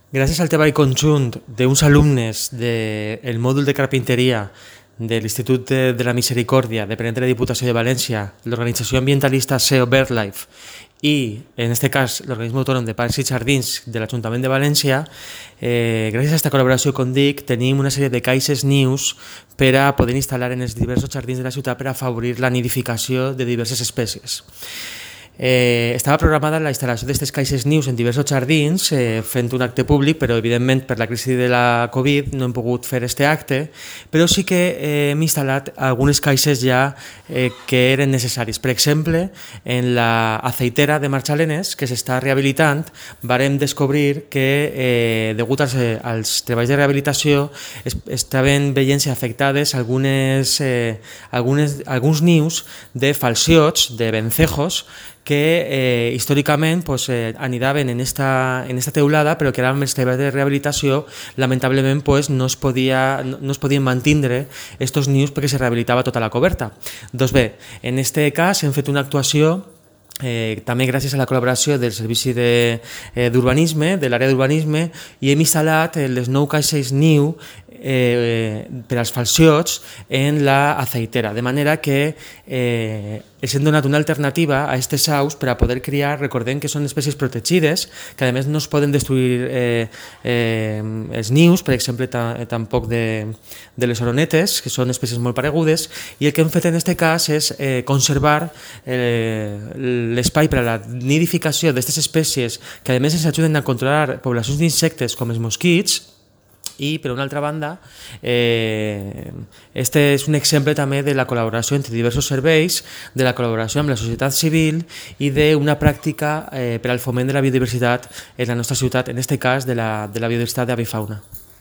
Gràcies al treball conjunt d'uns alumnes del mòdul de carpinteria de l'Institut de la Misericòrdia, depenent de la Diputació de València, l'organització ambientalista SEO BirdLife i, en aquest cas, l'organisme autònom de Parcs i Jardins de l'Ajuntament de València, gràcies a aquesta col·laboració, com dic, tenim una sèrie de caixes nius per a poder instal·lar en els diversos jardins de la ciutat per afavorir la nidificació de diverses espècies. Estava programada la instal·lació d'aquestes caixes nius en diversos jardins, fent un acte públic, però evidentment per la crisi de la Covid no hem pogut fer aquest acte, però sí que hem instal·lat algunes caixes ja que eren necessaris. Per exemple, en la aceitera de Marxalenes, que s'està rehabilitant, varem descobrir que, degut als treballs de rehabilitació, estaven veient-se afectades alguns nius de falciots, de vencejos, que històricament anidaven en esta teulada, però que ara amb els treballs de rehabilitació lamentablement no es podien mantindre estos nius perquè se rehabilitava tota la coberta. Doncs bé, en aquest cas hem fet una actuació també gràcies a la col·laboració del Servici d'Urbanisme, de l'àrea d'urbanisme, i hem instal·lat les 9 caixes niu per als falciots en la aceitera, de manera que els hem donat una alternativa a aquestes aus per a poder criar. Recordem que són espècies protegides, que a més no es poden destruir els nius, per exemple, tampoc de les oronetes, que són espècies molt paregudes, i el que hem fet en aquest cas és conservar l'espai per a la nidificació d'aquestes espècies que a més ens ajuden a controlar poblacions d'insectes com els mosquits. I, per una altra banda, este és un exemple també de la col·laboració entre diversos serveis, de la col·laboració amb la societat civil i d'una pràctica per al foment de la biodiversitat en la nostra ciutat, en aquest cas de la biodiversitat d'avifauna.